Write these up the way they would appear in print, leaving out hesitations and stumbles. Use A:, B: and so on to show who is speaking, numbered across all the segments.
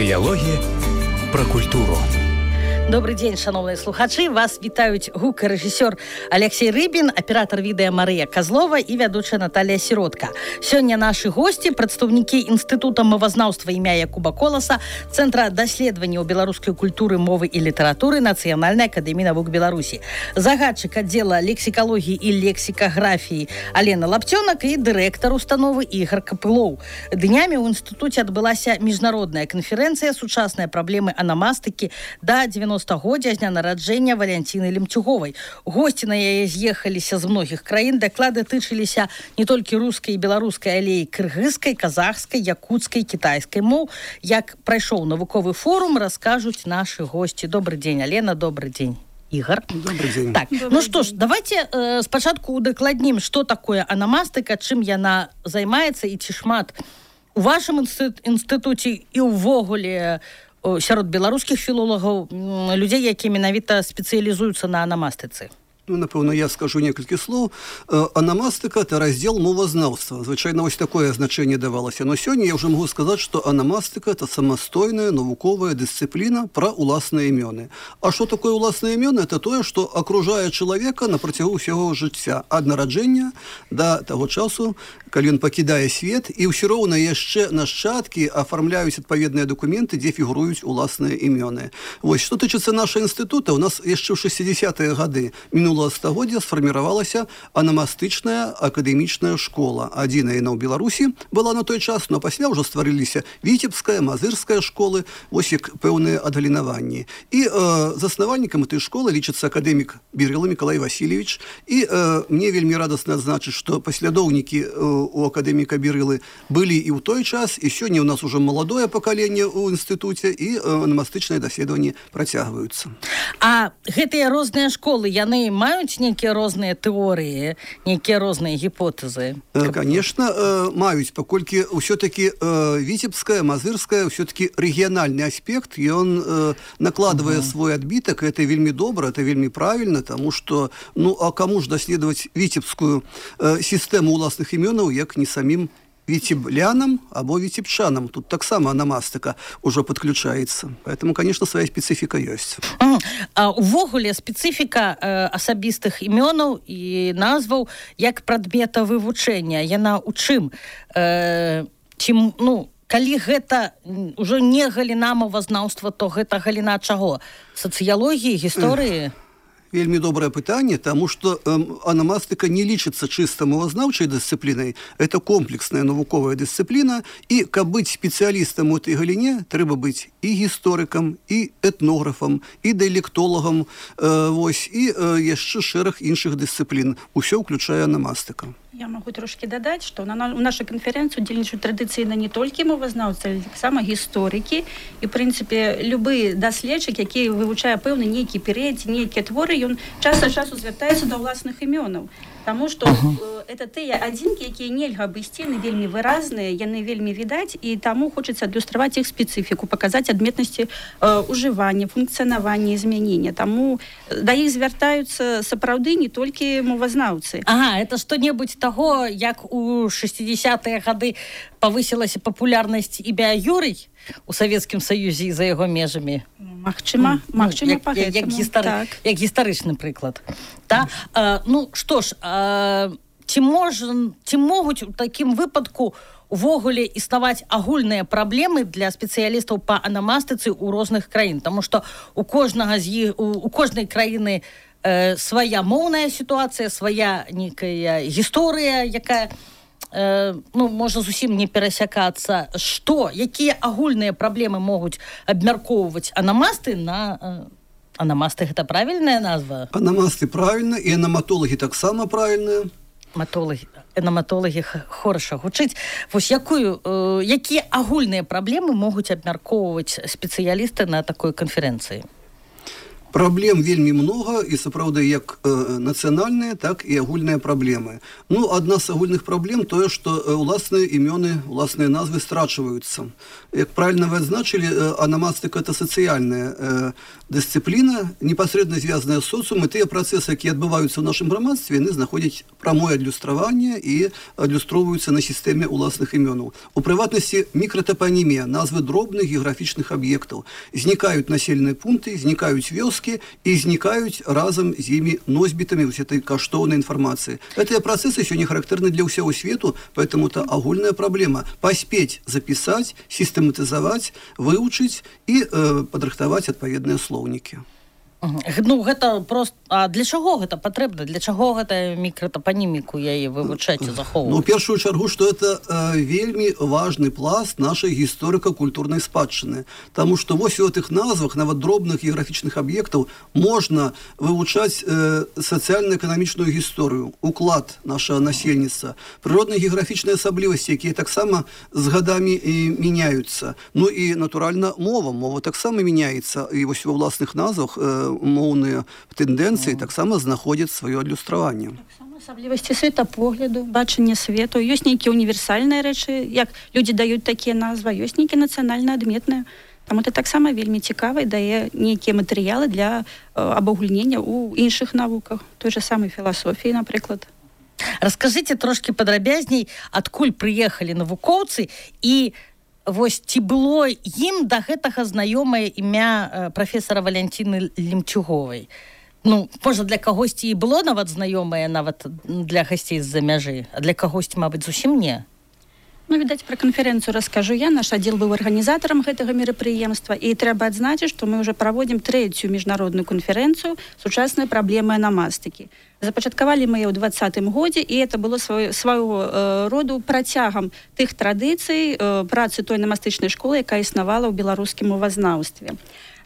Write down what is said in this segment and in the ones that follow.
A: Дыялогі пра культуру.
B: Добрый день, шановные слухачи. Вас вітаюць гукарэжысёр Алексей Рыбин, аператор відэа Марыя Козлова и вядучая Наталья Сиротка. Сёння наши гости, прадстаўнікі Інстытута мовазнаўства імя Якуба Коласа, Центра даследаванняў беларускай культуры, мовы и літаратуры Нацыянальнай акадэміі навук Беларусі, загадчык аддзела лексікалогіі и лексікаграфіі Алена Лаптёнак и дырэктар установы Ігор Капылоў. Днямі ў інстытуце адбылася міжнародная канферэнцыя «Сучасныя праблемы анамастыкі» да 90-годдзя з дня нараджэння Валянціны Лемцюговай. Госці на яе з'ехаліся з многіх краін. Даклады тычыліся не толькі рускай і беларускай, але і кыргызскай, казахскай, якутскай, кітайскай моў. Як прайшоў навуковы форум, раскажуць нашы госці. Добрый дзень, Алена, добрый дзень. Игорь.
C: Добрый день.
B: Так, ну что ж, давайте спачатку удакладнім, што такое анамастыка, чым яна займаецца і ці шмат у вашым інстытуце і ўвогуле сярод беларускіх філолагаў людзей, якія менавіта спецыялізуюцца на анамастыцы.
C: Ну, напэўна, я скажу некалькі слоў. Анамастыка – это раздзел мовазнаўства. Звычайна, вось такое значэнне давалася. Но сёння я ўжо магу сказаць, што анамастыка – это самастойная навуковая дысцыпліна пра уласныя імёны. А што такое уласныя імёны? Это тое, што акружае чалавека на працягу ўсяго жыцця. Ад нараджэння да таго часу, калі ён пакідае свет, і ўсё роўна яшчэ нашчадкі афармляюць адпаведныя дакументы, дзе фігуруюць уласныя імёны. Вось, што тычыцца нашага інстытута, у нас яшчэ ў 60-е гады минулого стагоддзя сфарміравалася анамастычная акадэмічная школа. Адзіная яна ў Беларусі была на той час, но пасля ўжо стварыліся віцебская, мазырская школы, вось як пэўныя адгалінаванні. І заснавальнікам этой школы лічыцца акадэмік Бірыла Мікалай Васильевич. І мне вельмі радасна адзначыць, што паслядоўнікі у акадэміка Бірылы былі і ў той час, і сёння ў нас ужо маладое пакаленне ў інстытуце, і анамастычныя даследаванні працягваюцца.
B: А гэтыя розныя школы, яны маюць нейкія розныя тэорыі, нейкія розныя гіпотэзы?
C: Конечно, маюць, паколькі ўсё-таки віцебская, мазырская, ўсё-таки рэгіянальны аспект, ён накладвае свой адбітак, это вельмі добра, это вельмі правільна, таму што, ну, а каму ж даследаваць віцебскую сістэму уласных імёнаў, як не самім віцеблянам або віцебчанам. Тут таксама анамастыка ўжо падключаецца. Поэтому, конечно, свая специфіка ёсць.
B: Увогуле, специфіка асабістых імёнаў і назваў як прадмета вывучэння, яна ў чым? Калі гэта ўжо не галіна мовазнаўства, то гэта галіна чаго? Сацыялогіі, гісторыі?
C: Вельмі добрае пытанне, таму што анамастыка не лічыцца чыста мовазнаўчай дысцыплінай, это комплексная навуковая дысцыпліна, і каб быць спецыялістам у этой галіне, трэба быць і гісторыкам, і этнографам, і дыялектолагам, вось, і яшчэ шэраг іншых дысцыплін. Усё ўключае анамастыка.
D: Я могу трошки дадаць, што у нашай канферэнцыі удзельнічаюць традыцыйна не толькі мовазнаўцы, але таксама гісторыкі. І, в прынцыпе, любы даследчык, які вывучае пэўны нейкі перыяд, нейкія творы, ён час ад часу звяртаецца да ўласных імёнаў. Таму што это тыя адзінкі, якія нельга абысці, яны вельмі выразныя, яны вельмі відаць, і таму хочацца адлюстраваць іх спецыфіку, паказаць адметнасці ужывання, функцыянавання, змянення. Таму да іх звяртаюцца сапраўды не толькі мовазнаўцы.
B: Ага, это што-небудзь таго, як у 60-е гады павысілася папулярнасць імя Юрый у Савецкім Саюзе і за яго межамі.
D: Магчыма,
B: як гістарычны прыклад. Ну, што ж, ці могуць у такім выпадку увогуле існаваць агульныя праблемы для спецыялістаў па анамастыцы ў розных краін? Таму што у кожнай краіны свая моўная сітуацыя, свая нейкая гісторыя, якая можа зусім не перасякацца. Якія агульныя праблемы могуць абмяркоўваць анамасты на... Анамасты – гэта правільная назва?
C: Анамасты правільна, і анаматолагі таксама правільныя.
B: Анаматолагі хораша гучыць. Вось якія агульныя праблемы могуць абмяркоўваць спецыялісты на такой канферэнцыі?
C: Праблем вельмі много, і сапраўды як нацыянальныя, так і агульныя праблемы. Ну, адна з агульных праблем тое, што уласныя імёны, уласныя назвы страчваюцца. Як правильно вы адзначылі, анамастыка – это сацыяльная дысцыпліна, непасрэдна звязаная з соцыумам, і тыя працэсы, якія адбываюцца ў нашым грамадстве, яны знаходзяць прамое адлюстраванне і адлюстроўваюцца на сістэме уласных імёнаў. У прыватнасці мікратапанімія, назвы дробных геаграфічных аб'ектаў. Знікаюць населеныя пункты, знікаюць вёскі, и изникают разом с ими носьбитами вот этой каштовной информации. Эти процессы сегодня характерны для всего свету, поэтому это огульная проблема. Поспеть записать, систематизовать, выучить и подрыхтовать отповедные словники.
B: Ну, гэта просто... А для чаго гэта патрэбна? Для чаго гэта мікратапаніміку яе вывучаць і захоўваць?
C: Ну, в першую чаргу, што это вельмі важны пласт нашай гісторыка-культурнай спадчыны. Таму што вось у гэтых назвах, нават дробных геаграфічных аб'ектаў, можна вывучаць сацыяльна-эканамічную гісторыю, уклад нашага насельніцтва, прыродныя геаграфічныя асаблівасці, якія таксама з гадамі мяняюцца. Ну і, натуральна, мова. Мова таксама мяняецца. І вось ва ўласных назвах моўныя тэндэнцыі таксама знаходзяць сваё адлюстраванне.
D: Таксама асаблівасці светапогляду, бачання свету. Ёсць нейкія універсальныя рэчы, як людзі даюць такія назвы, ёсць нейкія нацыянальна адметныя. Таму это таксама вельмі цікава і дае нейкія матэрыялы для абагульнення ў іншых навуках, той же самай філасофіі, напрыклад.
B: Раскажыце трошкі падрабязней, адкуль прыехалі навукоўцы і вось ці было ім да гэтага знаёмае імя прафесара Валянціны Лемцюговай? Ну, можа, для кагосьці і было нават знаёмае, нават для гасцей з-за мяжы, а для кагосьці, мабыць, зусім не.
D: Ну, відаць, пра канферэнцыю раскажу я. Наш аддзел быў арганізатарам гэтага мерапрыемства, і трэба адзначыць, што мы ўжо праводзім 3-ю міжнародную канферэнцыю «Сучасныя праблемы анамастыкі». Запачаткавалі мы яе ў 2020 годзе, і это было свайго роду працягам тых традыцый працы той анамастычнай школы, якая існавала ў беларускім мовазнаўстве.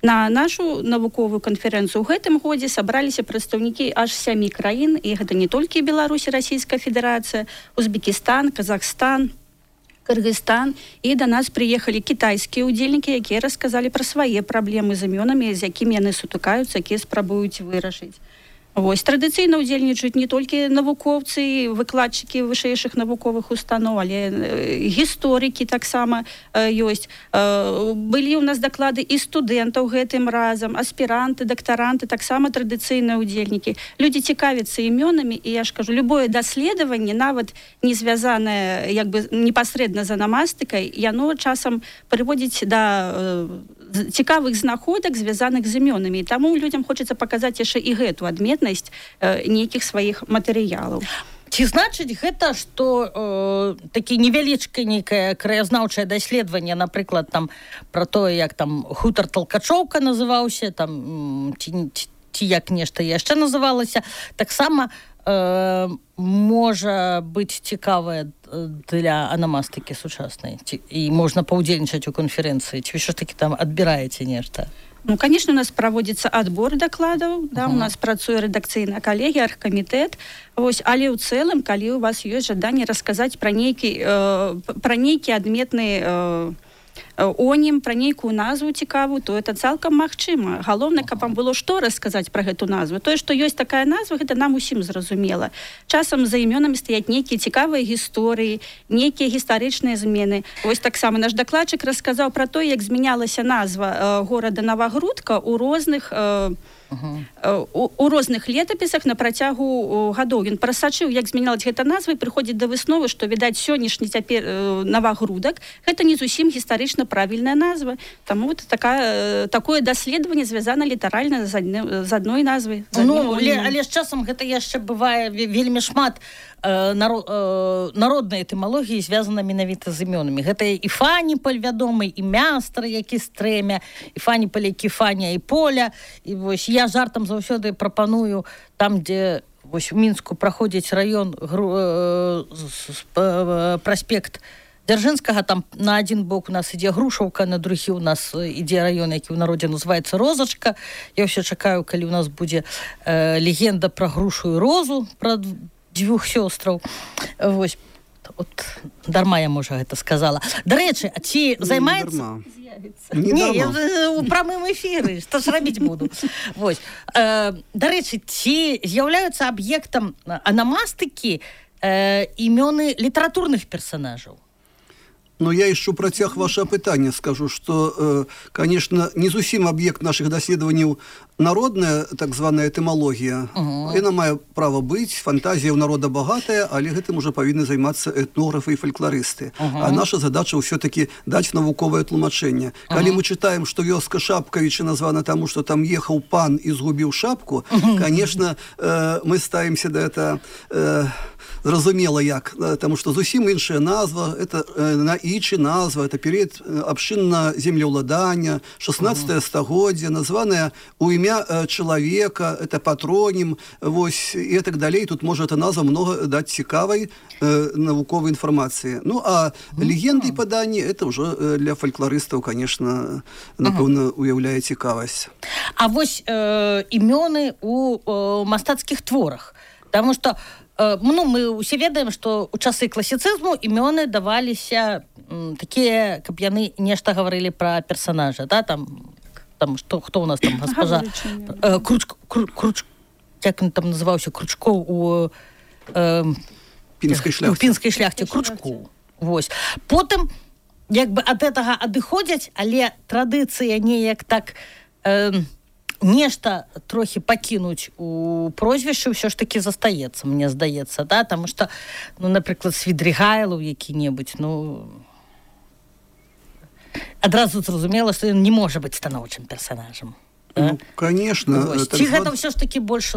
D: На нашу навуковую канферэнцыю ў гэтым годзе сабраліся прадстаўнікі аж 7 краін, і гэта не толькі Беларусь і Расійская Федэрацыя, Узбекістан, Казахстан, Кыргызстан, і да нас прыехалі кітайскія ўдзельнікі, якія расказалі пра свае праблемы з імёнамі, з якімі яны сутыкаюцца, якія спрабуюць вырашыць. Вось, традыцыйна ўдзельнічаюць не толькі навукоўцы, выкладчыкі вышэйшых навуковых устаноў, але гісторыкі таксама ёсць. Былі ў нас даклады і студэнтаў гэтым разам, аспіранты, дактаранты, таксама традыцыйныя ўдзельнікі. Людзі цікавяцца імёнамі, і я ж кажу, любое даследаванне, нават не звязанае як бы непасрэдна з анамастыкай, яно часам прыводзіць да цікавых знаходак, звязаных з імёнамі. І таму людзям хочацца паказаць яшчэ і гэту адметнасць нейкіх сваіх матэрыялаў.
B: Ці значыць гэта, што такі невялічкае нейкае краязнаўчае даследаванне, напрыклад, там пра тое, як там хутар Талкачоўка называўся, там ці як нешта яшчэ называлася, таксама можа быць цікавая для анамастыкі сучаснай, і можна паўдзельнічаць у канферэнцыі, ці вы ж такі там адбіраеце нешта?
D: Ну, конечно, у нас проводится отбор докладов, да, у нас працуе редакцыйная коллегия, аргкомитет, вось, але ў цэлым, калі у вас ёсць жаданне расказаць пра нейкі адметны онім, пра нейкую назву цікавую, то это цалкам магчыма. Галоўнае, каб вам было што расказаць пра гэту назву. Тое, што ёсць такая назва, гэта нам усім зразумела. Часам за імёнамі стаяць нейкія цікавыя гісторыі, нейкія гістарычныя змены. Вось таксама наш дакладчык расказаў пра то, як змянялася назва горада Новагрудка ў розных летапісах на працягу гадоў. Ён прасачыў, як змянялась гэта назва, і прыходзіць да высновы, што, відаць, сённяшні цяпер Новагрудак гэта не зусім гістарычна правільная назва. Таму вот такое даследаванне звязана літаральна з адной назвай.
B: Ну, але з часам гэта яшчэ бывае вельмі шмат народнай этымалогіі звязана менавіта з імёнамі. Гэта і Фаніпаль вядомы, і Мястр, які Стрэмя, і Фаніпаль, які Фаня і Поля. І вось я жартам заўсёды прапаную там, дзе вось у Мінску праходзіць раён праспект Дзяржынскага, там на адзін бок у нас ідзе Грушаўка, на другі у нас ідзе раён, які ў народзе называецца Розачка. Я ўсё чакаю, калі у нас будзе легенда пра Грушу і Розу, пра 2 сёстраў. Вось. От дарма я, можа, гэта сказала. Дарэчы, а ці займаецца... Не, я ў прамым эфіры, што ж рабіць буду. Вось. Дарэчы, ці з'яўляюцца аб'ектам анамастыкі імёны літаратурных персонажаў?
C: Но я еще працяг ваше пытанне скажу, что, конечно, не зусім аб'ект наших даследаванняў народная так званая этымалогія. Яна мае права быць, фантазія ў народа багатая, але гэтым уже павінны займацца этнографы і фальклорысты. А наша задача ўсё-таки даць навуковае тлумачэнне. Калі мы читаем, что вёска Шапкавіча названа таму, что там ехаў пан і згубіў шапку, конечно, мы ставімся да это зразумела як, потому что зусім іншая назва, это наічы назва, это перыяд абшчыннага землеўладання, 16 стагоддзя, названая у імя чалавека, это патронім, вось, і так далей. Тут можа эта назва много даць цікавай навуковай інфармацыі. Ну, а легенды і паданні, это уже для фальклорыстаў, конечно, напэўна, уяўляе цікавасць.
B: А вось імёны у мастацкіх творах, потому что мы ўсе ведаем, што ў часы класіцызму імёны даваліся такія, каб яны нешта гаварылі пра персонажа, да, там што, хто у нас там гаспажа як ён там называўся, Кручкоў у пінскай шляхце, Кручкоў. Вось. Потым як бы ад гэтага адыходзяць, але традыцыя неяк так нешта трохі пакінуць у прозвішчы ўсё ж таки застаецца, мне здаецца, да, таму што, ну, напрыклад, Свідригайлаў які-небудзь, ну, адразу зразумела, што ён не можа быць станоўчым персонажам.
C: Да? Ну, конечно.
B: Ці гэта ўсё ж таки больш,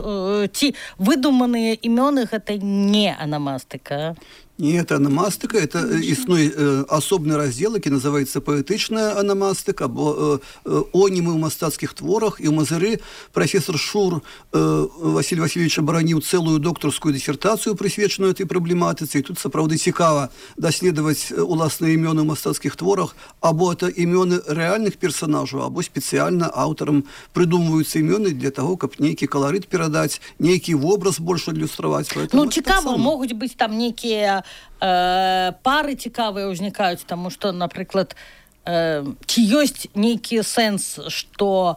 B: ці выдуманыя імёны гэта не анамастыка?
C: Нет, аномастика, это існуе асобны раздзел, які называецца паэтычная аномастика, або онімы ў мастацкіх творах, і ў Мазыры профессор Шур Василь Васильевич абараніў цэлую доктарскую дысертацыю, прысвечаную этой праблематыцы, і тут сапраўды цікава даследаваць уласныя імёны ў мастацкіх творах, або это імёны рэальных персонажаў, або спецыяльна аўтарам прыдумваюцца імёны для таго, каб нейкі каларыт перадаць, нейкі вобраз больш адлюстраваць.
B: Ну, цікава, могуць быць там нейкія пары цікавыя ўзнікаюць, таму што, напрыклад, ці ёсць нейкі сэнс, што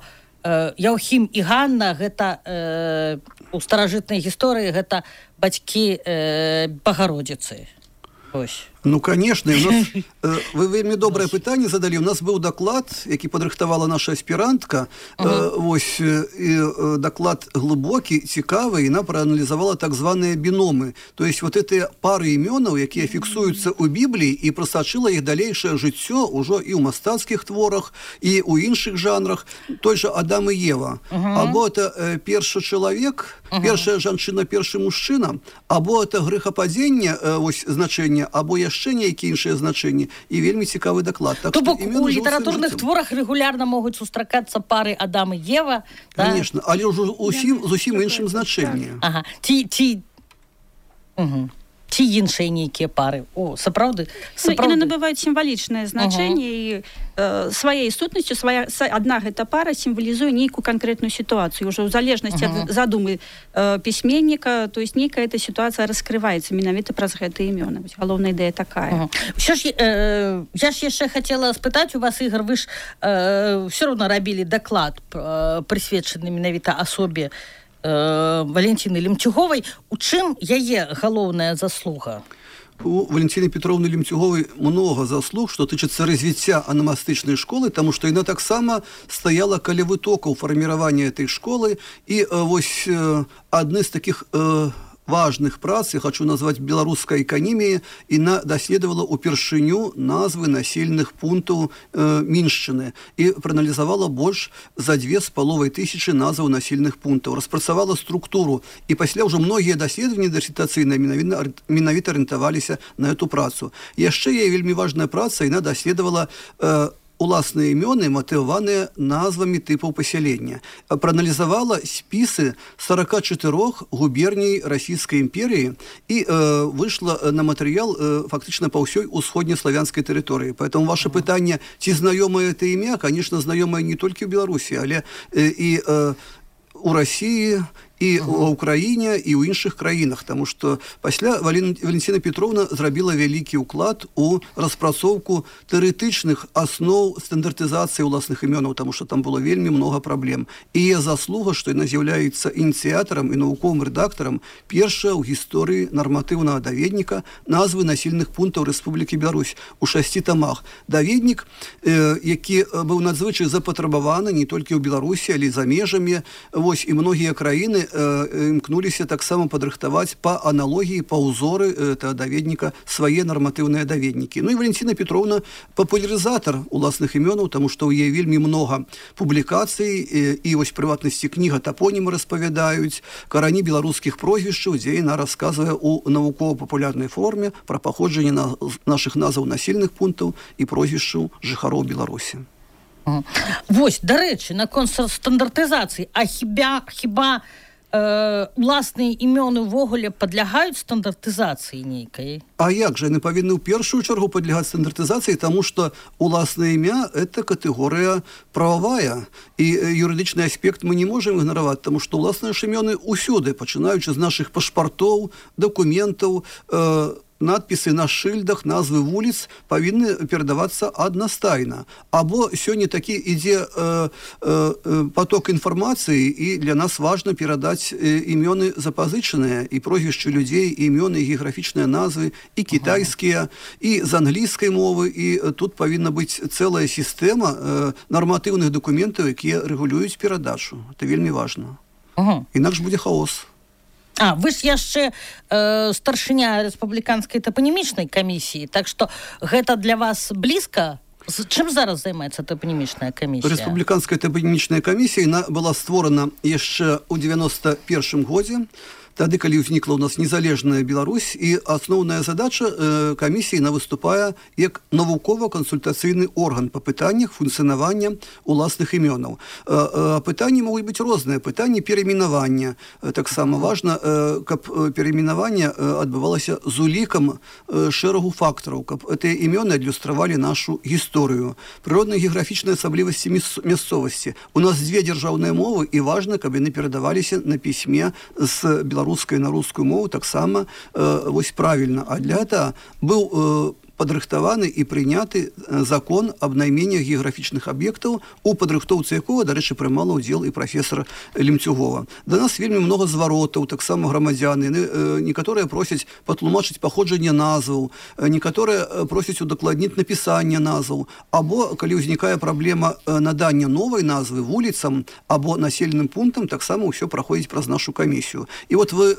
B: Яўхім і Ганна гэта у старажытнай гісторыі гэта бацькі Багародзіцы. Ось.
C: Ну, конечно. Вы вельмі добрае пытанне задалі. У нас быў даклад, які падрыхтавала наша аспірантка. Вось, даклад глыбокі, цікавы, і яна прааналізавала так званыя біномы. То есть вот эти пары імёнаў, якія фіксуюцца ў Бібліі, і прасачыла іх далейшае жыццё ўжо і ў мастацкіх творах, і ў іншых жанрах. Той же Адам і Ева. Або это першы чалавек, першая жанчына, першы мужчына, або это грэхападзенне, вось значэнне, або яшчэ нейкія іншыя значэнні, і вельмі цікавы даклад.
B: Так, то бок у літаратурных творах рэгулярна могуць сустракацца пары Адам і Ева, да?
C: Конечно, але ўжо зусім іншым значэнні.
B: Ага. Ці іншыя нейкія пары. О, сапраўды.
D: Яны набываюць сімвалічнае значэнне, і сваёй сутнасцю адна гэта пара сімвалізуе нейкую канкрэтную сітуацыю. Уже ў залежнасці ад задумы пісьменніка, то есть нейкая эта сітуацыя раскрываецца менавіта праз гэтыя імёны. Галоўная ідэя такая.
B: Я ж яшчэ хацела спытаць у вас, Ігор, вы ж ўсё роўна рабілі даклад, прысвечаны менавіта асобе Валентины Лемцюговай. У чым яе галоўная заслуга?
C: У Валентины Петровны Лемцюговой много заслуг, что тычыцца развіцця анамастычнай школы, тому что яна таксама стаяла каля вытокаў фарміравання этой школы. І вось адны з таких важных прац, я хочу назваць беларускай эканіміі, яна даследавала упершыню назвы населеных пунктаў Міншчыны і прааналізавала больш за 2500 назваў населеных пунктаў, распрацавала структуру, і пасля ўжо многія даследаванні дысертацыйныя менавіта арыентаваліся на эту працу. Яшчэ яе вельмі важная праца, яна даследавала уласныя імёны, матываваныя назвамі тыпаў пасялення. Прааналізавала спісы 44 губерній Расійскай імперіі і выйшла на матэрыял фактычна па ўсёй усходнеславянскай тэрыторыі. Поэтому ваше пытанне, ці знаёмае это імя, конечно, знаёмае не толькі ў Беларусі, але і у России, і ў Украіне, і ў іншых краінах, таму што пасля Валентина Петровна зрабіла вялікі ўклад у распрацоўку тэарэтычных асноў стандартызацыі ўласных імёнаў, таму што там было вельмі много праблем. І яе заслуга, што яна з'яўляецца ініцыятарам і навуковым рэдактарам першая ў гісторыі нарматыўнага даведніка назвы насельных пунктаў Рэспублікі Беларусь у 6 тамах. Даведнік, які быў надзвычай запатрабаваны не толькі ў Беларусі, але і за межамі. Вось, і многія краіны імкнуліся таксама падрыхтаваць па аналогіі, па ўзоры этого даведніка свае нарматыўныя даведнікі. Ну і Валентина Петровна папулярызатар уласных імёнаў, таму што ў яе вельмі много публікацый, і вось прыватнасці кніга тапонімы распавядаюць, карані беларускіх прозвішчаў, дзе яна расказвае ў навукова-папулярнай форме пра паходжанне нашых назваў насельных пунктаў і прозвішчаў жыхароў Беларусі.
B: Вось, дарэчы, наконт стандартызацыі, а хіба уласныя імёны ўвогуле падлягаюць стандартызацыі нейкай?
C: А як жа, яны павінны ў першую чаргу падлягаць стандартызацыі, таму што уласнае імя – это катэгорыя прававая, і юрыдычны аспект мы не можам ігнараваць, таму што уласныя ж імёны ўсюды, пачынаючы з нашых пашпартоў, дакументаў, надпісы на шыльдах, назвы вуліц павінны перадавацца аднастайна. Або сёння такі ідзе поток інфармацыі, і для нас важна перадаць імёны запазычаныя, і прозвішчы людзей, і імёны, і геаграфічныя назвы, і кітайскія, і з англійскай мовы, і тут павінна быць цэлая сістэма нарматыўных дакументаў, якія рэгулююць перадачу. Это вельмі важна. Інакш будзе хаос.
B: Вы ж яшчэ старшыня рэспубліканскай тапанімічнай камісіі, так што гэта для вас блізка? Чым зараз займаецца тапанімічная камісія?
C: Рэспубліканская тапанімічная камісія была створана яшчэ ў 91-м годзе, тады, калі ўзнікла ў нас незалежная Беларусь, і асноўная задача камісіі выступае як навукова-кансультацыйны орган па пытаннях функцыянавання уласных імёнаў. Пытанні могуць быць розныя, пытанні перайменавання. Таксама важна, каб перайменаванне адбывалася з улікам шэрагу фактараў, каб гэтыя імёны адлюстравалі нашу гісторыю, прыродныя геаграфічныя асаблівасці мясцовасці. У нас дзве дзяржаўныя мовы, і важна, каб яны перадаваліся на пісьме з беларускай на рускую мову таксама вось правільна. А для этого быў падрыхтаваны і прыняты закон аб найменнях геаграфічных аб'ектаў, у падрыхтоўцы якога, дарэчы, прымала ўдзел і прафесор Лемцюгова. Да нас вельмі много зваротаў, таксама грамадзяны. Некаторыя просяць патлумачыць паходжанне назваў, некаторыя просяць удакладніць напісанне назваў, або калі ўзнікае праблема надання новай назвы вуліцам або населеным пунктам, таксама ўсё праходзіць праз нашу камісію. І вот вы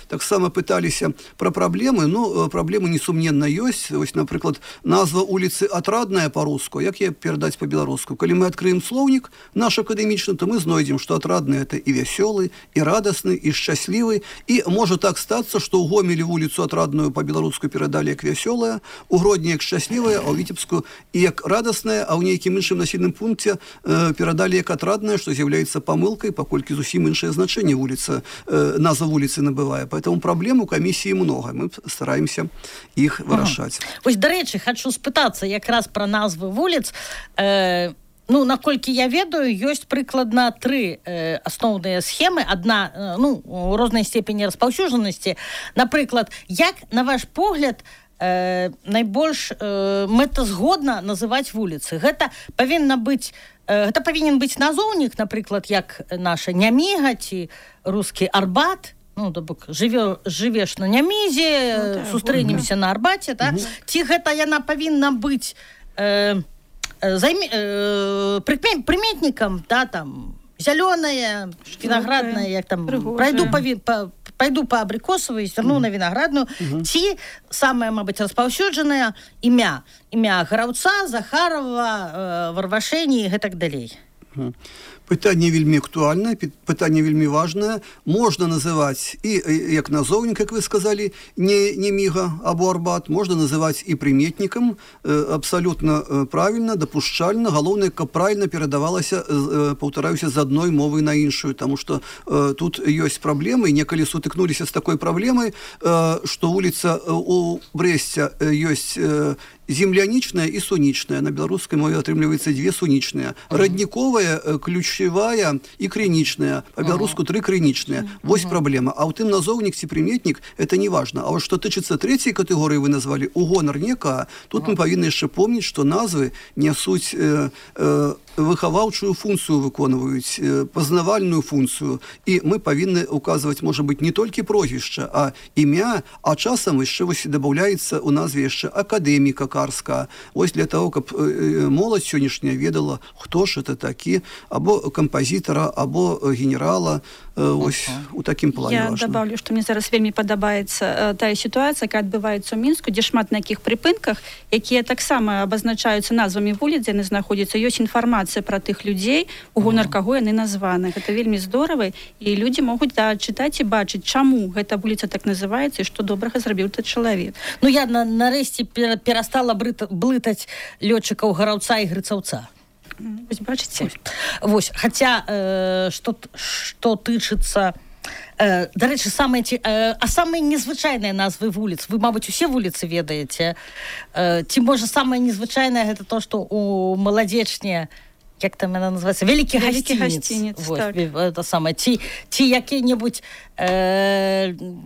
C: таксама пыталіся пра праблемы, ну, праблемы несумненна ёсць. Вось, напрыклад, назва улицы Отрадная по-руску, як я перадаць по-беларуску? Калі мы адкрыем слоўнік наш акадэмічны, то мы знойдзем, што Отрадная – это і вясёлы, і радасны, і шчаслівы, і можа так стацца, што ў Гомелі вуліцу Отрадную по-беларуску перадалі як вясёлая, у Гродні як шчаслівая, а ў Віцебску і як радасная, а ў нейкім іншым населеным пункце перадалі як Отрадная, што з'яўляецца памылкай, паколькі зусім іншае значэнне вуліца, назва вуліцы набывае. Поэтому праблем у камісіі много, мы стараемся іх вырашаць.
B: Дарэчы, хочу спытацца якраз пра назвы вуліц. Ну, наколькі я ведаю, ёсць прыкладна 3 асноўныя схемы. Адна, ну, у рознай степені распаўсюджанасці. Напрыклад, як, на ваш погляд, найбольш мэтазгодна называць вуліцы? Гэта павінен быць назоўнік, напрыклад, як наша Няміга ці рускі Арбат. Ну, то бок, жывеш на Нямізе, сустрэнемся на Арбаце, так? Ці гэта яна павінна быць прыметнікам, да, там, зялёная, вінаградная, як там, пайду па абрыкосавай, зверну на вінаградную, ці самае, мабыць, распаўсюджанае імя Гараўца, Захарова, Варвашэні і гэтак далей.
C: Пытанне вельмі актуальнае, пытанне вельмі важнае. Можна называць і як назоўнік, як вы сказалі, не Няміга або Арбат, можна называць і прыметнікам, абсалютна правільна, дапушчальна. Галоўнае, каб правільна перадавалася, паўтараюся, з адной мовы на іншую, таму што тут ёсць праблемы, і некалі сутыкнуліся з такой праблемай, што вуліца у Брэсце ёсць землянічная і сунічная. На беларускай мове атрымліваецца 2 сунічныя. Радніковая ключ ключевая и криничная. По-белоруску 3 криничные. Вось проблема. А у тым назовник ці приметник это не важно. А вот что тычыцца третьей категории вы назвали, у гонар некага, тут мы повинны еще помнить, что назвы несуть выхаваўчую функцию выконваюць, пазнавальную функцию. И мы повинны указывать, может быть, не только прозвище, а имя, а часам еще добавляется у назве еще академика карска. Ось для того, как молодь сегодняшняя ведала, кто ж это таки, або композитора, або генерала, ось у таким плане
D: Я
C: важно.
D: добавлю, что мне зараз вельмі падабаецца тая ситуация, якая адбываецца ў Мінску, дзе шмат на якіх прыпынках, якія таксама абазначаюцца назвамі вуліц, дзе яны знаходзяцца, ёсць інфармацыя пра тых людзей, у гонар каго яны названы. Гэта вельмі здорава, і людзі могуць чытаць і бачыць, чаму гэта вуліца так называецца і што добрага зрабіў той чалавек.
B: Ну, я нарэшце перастала блытаць лётчыкаў гараўца і грыцаўца.
D: Вось бачыце?
B: Вось, хаця, што тычыцца... Дарэчы, самыя незвычайныя назвы вуліц, вы, мабыць, усе вуліцы ведаеце, ці, можа, самае незвычайнае гэта то, што у Маладзечне, як там яна называецца, Вялікі гасцінец.
D: Так.
B: Это самае. Ці які-небудзь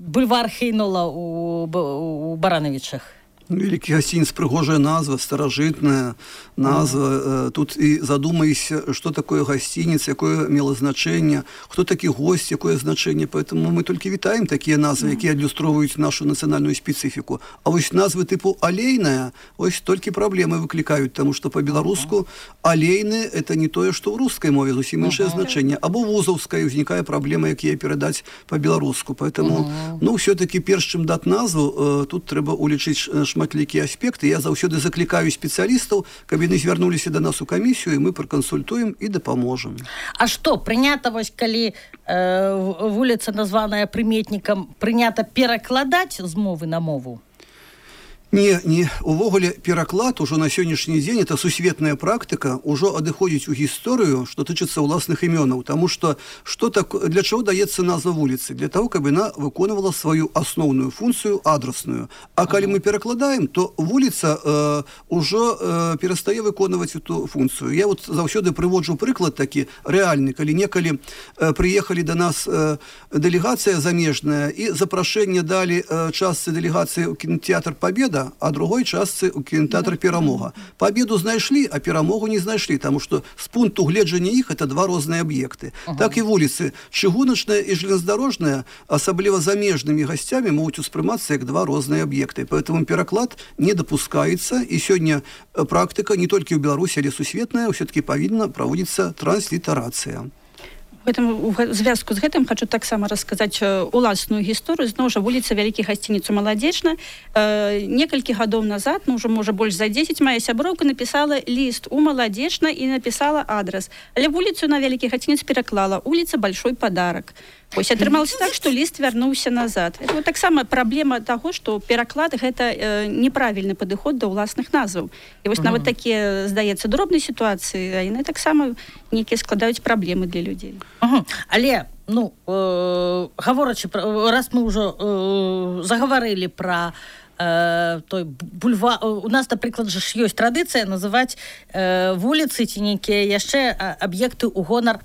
B: бульвар Хейнола у Барановичах.
C: Великий гостиниц, пригожая назва, старожитная назва. Тут и задумайся, что такое гостиница, какое имело значение, кто такие гости, какое значение. Поэтому мы только витаем такие назвы, которые иллюстрируют нашу национальную специфику. А вот назвы типу «алейная» вот только проблемы выкликают, потому что по-белорусски «алейные» — это не то, что в русской мове, совсем меньшее значение. Або вузовская возникает проблема, какие передать по-белорусски. Поэтому, все-таки, перш чим дать назву, тут треба улічить шматлікія аспекты. Я заўсёды закликаю специалистов, каб яны звярнуліся до нас у комиссию, и мы проконсультуем и допоможем.
B: А что, прынята вось, калі вуліца, названая прыметнікам, прынята перакладаць з мовы на мову?
C: Не, увогуле пераклад уже на сённяшні дзень это сусветная практика, уже адыходзіць у гісторыю, што тычыцца ўласных імёнаў, тому что для чего даецца назва вуліцы? Для того, каб яна выконвала свою асноўную функцию адресную. А калі мы перакладаем, то вуліца уже перастае выконваць эту функцию. Я вот заўсёды прыводжу прыклад такі рэальны, калі некалі прыехалі до нас дэлегацыя замежная і запрашэнне далі частцы дэлегацыі ў кінотэатр Победа, а другой частцы у кинотеатр «Перамога». Победу знайшлі, а перамогу не знайшлі, потому что с пункту гледжання іх это два розныя аб'екты. Так і вуліцы чыгуначная і железнодорожная, асабліва замежнымі гасцямі, могуць успрымацца як два розныя аб'екты. Поэтому пераклад не допускаецца, і сёння практика не толькі ў Беларусі, але сусветная, все-таки павінна праводзіцца транслітарацыя.
D: У звязку з гэтым хочу таксама расказаць уласную гісторыю. Зноў жа вуліца Вялікі гасцінец у Маладзечна. Некалькі гадоў назад, ўжо можа больш за 10, моя сяброўка напісала ліст у Маладзечна і напісала адрас. Але вуліцу на Вялікі гасцінец пераклала улица Большой Подарок. Вось атрымалася так, што ліст вярнуўся назад. Это вот таксама праблема таго, што пераклад гэта неправільны падыход да ўласных назваў. І вось нават такія, здаецца, дробныя сітуацыі, а яны таксама нейкія складаюць праблемы для людзей.
B: Але, гаворачы, раз мы ўжо загаварылі пра той бульвар, у нас, напрыклад, ж ёсць традыцыя называць вуліцы ці нейкія яшчэ аб'екты ў гонар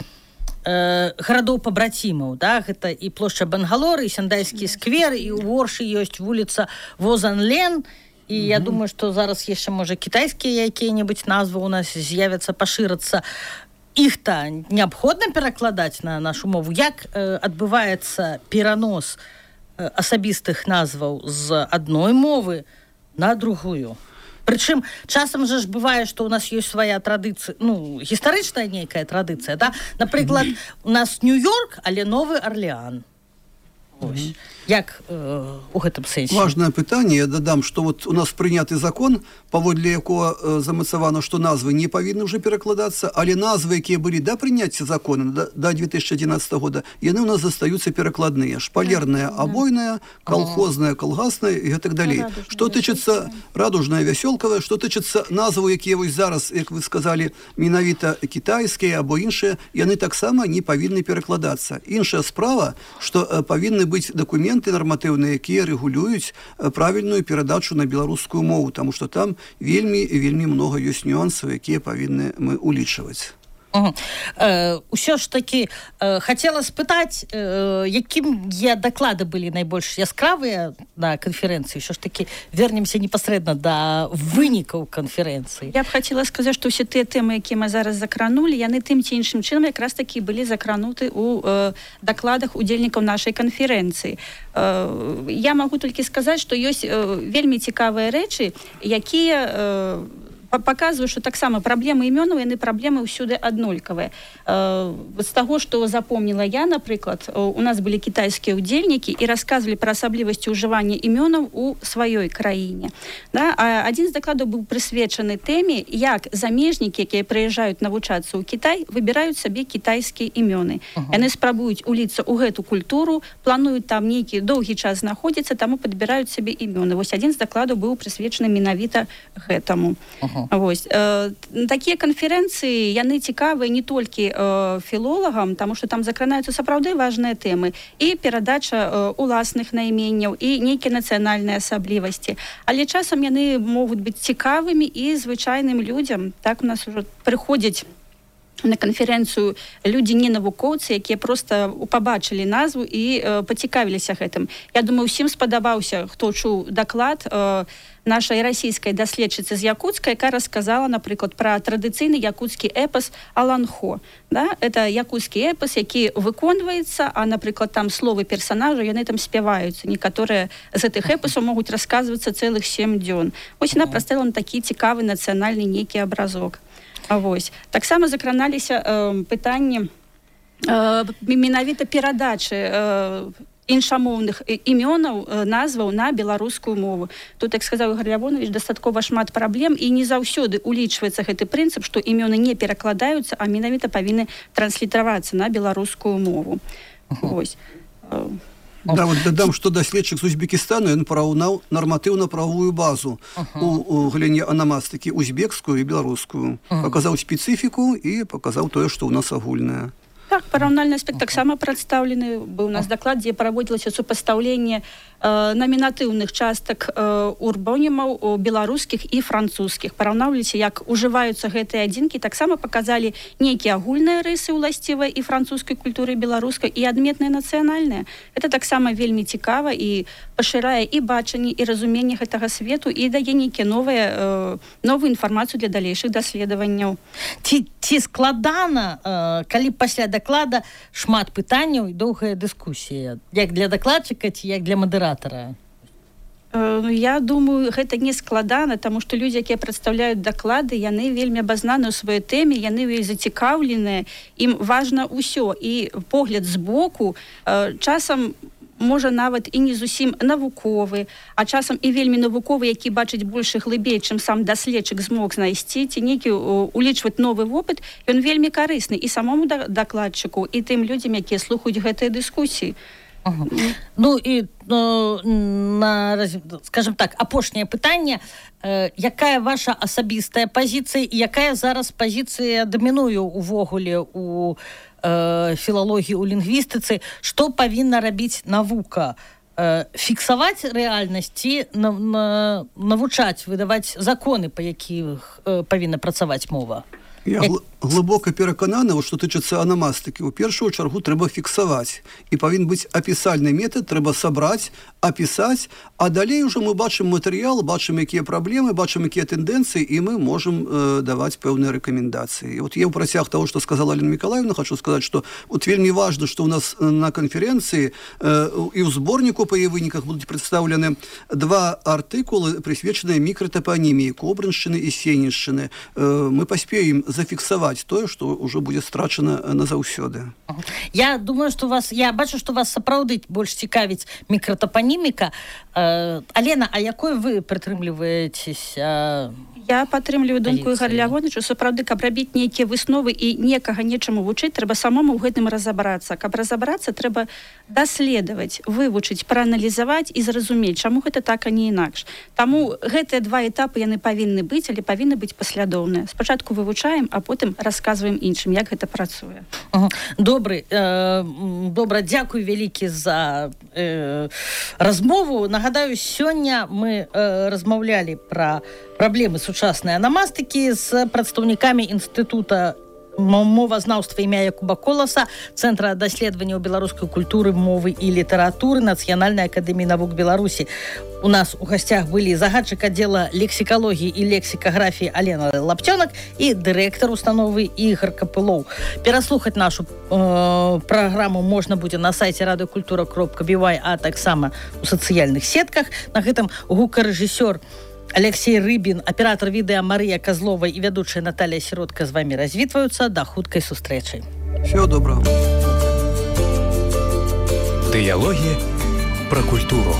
B: гарадоў пабрацімаў, да? Гэта і плошча Бангалор, і Сяндайскі сквер, і ў Оршы ёсць вуліца Возан-Лен, і я думаю, што зараз яшчэ, можа, кітайскія якія-небудзь назвы у нас з'явяцца, пашырацца. Іх-то неабходна перакладаць на нашу мову. Як адбываецца перанос асабістых назваў з адной мовы на другую? Прычым, часам же ж бывае, што у нас ёсць свая традыцыя, гістарычная нейкая традыцыя, да? Напрыклад, у нас Нью-Йорк, але Новы Орлеан. Ось. Як у гэтым сэнсе?
C: Важное пытанне. Я дадам, што вот у нас прыняты закон, паводле якога замацавана, што назвы не павінны ўжо перакладацца, але назвы, якія былі да прыняцця закона, да 2011 года, яны ў нас застаюцца перакладныя. Шпалерная, абойная, колхозная, калгасная і гэтак далей. Што тычыцца радужная, вясёлкавая, што тычыцца назваў, якія вось зараз, як вы сказалі, менавіта кітайскія або іншыя, яны таксама не павінны перакладацца. Іншая справа, што павінны быць дакументы нарматыўныя, якія рэгулююць правільную перадачу на беларускую мову, таму што там вельмі много ёсць нюансаў, якія павінны мы улічваць.
B: Усё ж таки хацела спытаць, якія даклады былі найбольш яскравыя на канферэнцыі? Що ж таки вернемся непасрэдна да вынікаў канферэнцыі.
D: Я б хацела сказаць, што ўсе тыя тэмы, якія мы зараз закранулі, яны тым ці іншым чынам якраз такі былі закрануты ў дакладах удзельнікаў нашай канферэнцыі. Я магу толькі сказаць, што ёсць вельмі цікавыя рэчы, якія паказваю, што таксама праблемы імёнаў, яны праблемы ўсюды аднолькавыя. З таго, што запомніла я, напрыклад, у нас былі кітайскія ўдзельнікі і расказвалі пра асаблівасці ўжывання імёнаў у сваёй краіне. Да? Адзін з дакладаў быў прысвечаны тэме, як замежнікі, якія прыязджаюць навучацца ў Кітай, выбіраюць сабе кітайскія імёны. Яны спрабуюць уліцца ў гэту культуру, плануюць там нейкі доўгі час знаходзіцца, таму падбіраюць сабе імёны. Вось адзін з дакладаў быў прысвечаны менавіта гэтаму. Вось. Такія канферэнцыі, яны цікавыя не толькі філолагам, таму што там закранаюцца сапраўды важныя тэмы, і перадача уласных найменняў, і нейкія нацыянальныя асаблівасці. Але часам яны могуць быць цікавымі і звычайным людзям. Так у нас ужо прыходзяць на канферэнцыю людзі не навукоўцы, якія проста пабачылі назву і пацікавіліся гэтым. Я думаю, усім спадабаўся, хто чуў даклад нашай расійскай даследчыцы з Якутска, якая расказала, напрыклад, пра традыцыйны якуцкі эпас Аланхо. Да? Это якуцкі эпас, які выконваецца, а, напрыклад, там словы персанажа, яны там спяваюцца. Некаторыя з гэтых эпасаў могуць расказвацца цэлых 7 дзён. Вось яна паставіла на такі цікавы нацыянальны нейкі абразок. Вось. Таксама закраналіся пытанні менавіта перадачы іншамоўных імёнаў, назваў на беларускую мову. Тут, як сказаў Ігор Лявонович, дастаткова шмат праблем, і не заўсёды улічваецца гэты прынцып, што імёны не перакладаюцца, а менавіта павінны транслітравацца на беларускую мову. Вось.
C: Да, вот дадам, што даследчык з Узбекістану, ён параўнаў нарматыўна-правовую базу у галіне анамастыкі узбекскую і беларускую. Паказаў спецыфіку і паказаў тое, што ў нас агульнае.
D: Так, параўнальны аспект таксама прадстаўлены. Быў у нас даклад, дзе праводзілася супастаўленне номінатыўных частак урбонімаў беларускіх і французскіх. Параўнаўліся, як ужываюцца гэтыя адзінкі, таксама паказалі нейкія агульныя рысы ўласцівыя і французскай культуры, беларускай, і адметныя нацыянальныя. Это таксама вельмі цікава і пашырае і бачанне, і разуменне гэтага свету, і дае нейкія новую інфармацыю для далейшых даследаванняў.
B: Ці складана, калі пасля даклада шмат пытанняў і доўгая дыскусія, як для дакладчыка ці як для мадэратара?
D: Я думаю, гэта не складана, таму што людзі, якія прадстаўляюць даклады, яны вельмі абазнаны ў сваёй тэме, яны зацікаўленыя, ім важна ўсё. І погляд збоку часам можа нават і не зусім навуковы, а часам і вельмі навуковы, які бачыць больш глыбей, чым сам даследчык змог знайсці, ці нейкі улічваць новы вопыт, ён вельмі карысны і самому дакладчыку, і тым людзям, якія слухаюць гэтыя дыскусіі.
B: Ну і, скажем так, апошняе пытанне. Якая ваша асабістая пазіцыя і якая зараз пазіцыя дамінуе увогуле у філалогіі, у лінгвістыцы? Што павінна рабіць навука? Фіксаваць рэальнасць ці навучаць, выдаваць законы, па якіх павінна працаваць мова?
C: Я глыбока перакананы, што тычыцца анамастыкі. У першую чаргу трэба фіксаваць. І павінен быць апісальны метад, трэба сабраць, апісаць, а далей ужо мы бачым матэрыял, бачым, якія праблемы, бачым, якія тэндэнцыі, і мы можам даваць пэўныя рэкамендацыі. І вот я ў працяг таго, што сказала Алена Мікалаевна, хочу сказаць, што вот вельмі важна, што ў нас на канферэнцыі і ў зборніку па яе выніках будуць прадстаўлены 2 артыкулы, прысвечаныя мікратапаніміі Кобрыншчыны і Сенішчыны. Мы паспеем зафіксаваць тое, што ўжо будзе страчана назаўсёды.
B: Я думаю, што я бачу, што вас сапраўды больш цікавіць мікратапаніміка. Алена, а якой вы прытрымліваецеся?
D: Я падтрымліваю думку Ігора Лявоновича, сапраўды, каб рабіць нейкія высновы і некага нечаму вучыць, трэба самому ў гэтым разабрацца. Каб разабрацца, трэба даследаваць, вывучыць, прааналізаваць і зразумець, чаму гэта так, а не інакш. Таму гэтыя 2 этапы яны павінны быць, але павінны быць паслядоўныя. Спачатку вывучаем, а потым расказваем іншым, як гэта працуе.
B: Добра, дзякуй вялікі за размову. Нагадаю, сёння мы размаўлялі пра праблемы сучаснай анамастыкі з прадстаўнікамі інстытута мовазнаўства імя Якуба Коласа, Цэнтра даследаванняў беларускай культуры, мовы і літаратуры Нацыянальнай акадэміі навук Беларусі. У нас у гасцях былі загадчык аддзела лексікалогіі і лексікаграфіі Алена Лапцёнак і дырэктар установы Ігор Капылоў. Пераслухаць нашу праграму можна будзе на сайце радыёкультура.бівай, а таксама у сацыяльных сетках. На гэтым гукарэжысёр Алексей Рыбин, аператор відэа Марыя Казлова і вядучая Наталья Сиротка з вами развітваюцца. Да хуткай сустрэчы.
C: Всего доброго.
A: Дыялогі пра культуру.